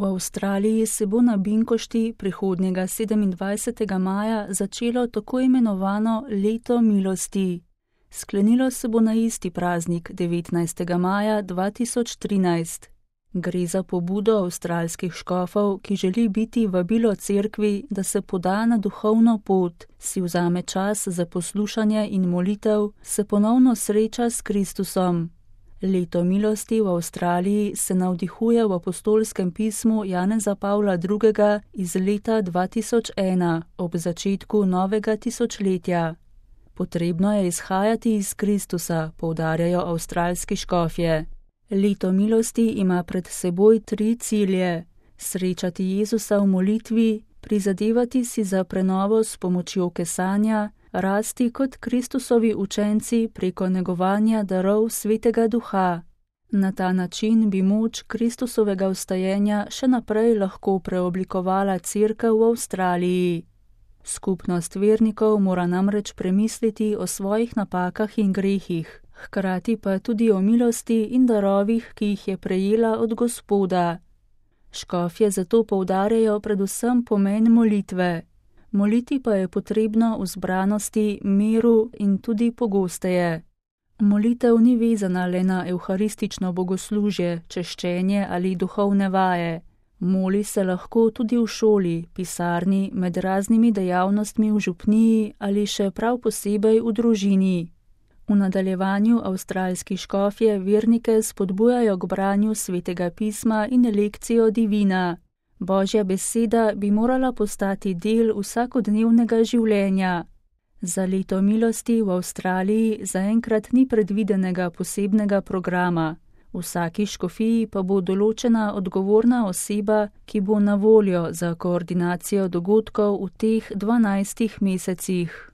V Avstraliji se bo na Binkošti prihodnjega 27. maja začelo tako imenovano Leto milosti. Sklenilo se bo na isti praznik 19. maja 2013. Gre za pobudo avstralskih škofov, ki želi biti vabilo cerkvi, da se poda na duhovno pot, si vzame čas za poslušanje in molitev, se ponovno sreča s Kristusom. Leto milosti v Avstraliji se navdihuje v apostolskem pismu Janeza Pavla II. Iz leta 2001, ob začetku novega tisočletja. Potrebno je izhajati iz Kristusa, poudarjajo avstralski škofje. Leto milosti ima pred seboj 3 cilje: srečati Jezusa v molitvi, prizadevati si za prenovo s pomočjo kesanja, rasti kot Kristusovi učenci preko negovanja darov Svetega Duha. Na ta način bi moč Kristusovega vstajenja še naprej lahko preoblikovala cerkev v Avstraliji. Skupnost vernikov mora namreč premisliti o svojih napakah in grehih, hkrati pa tudi o milosti in darovih, ki jih je prejela od Gospoda. Škofje zato poudarjajo predvsem pomen molitve. Moliti pa je potrebno v zbranosti, miru in tudi pogosteje. Molitev ni vezana le na evharistično bogoslužje, češčenje ali duhovne vaje. Moli se lahko tudi v šoli, pisarni, med raznimi dejavnostmi v župniji ali še prav posebej v družini. V nadaljevanju avstralski škofje vernike spodbujajo k branju Svetega pisma in lekcijo divina. Božja beseda bi morala postati del vsakodnevnega življenja. Za leto milosti v Avstraliji zaenkrat ni predvidenega posebnega programa. V vsaki škofiji pa bo določena odgovorna oseba, ki bo na voljo za koordinacijo dogodkov v teh 12 mesecih.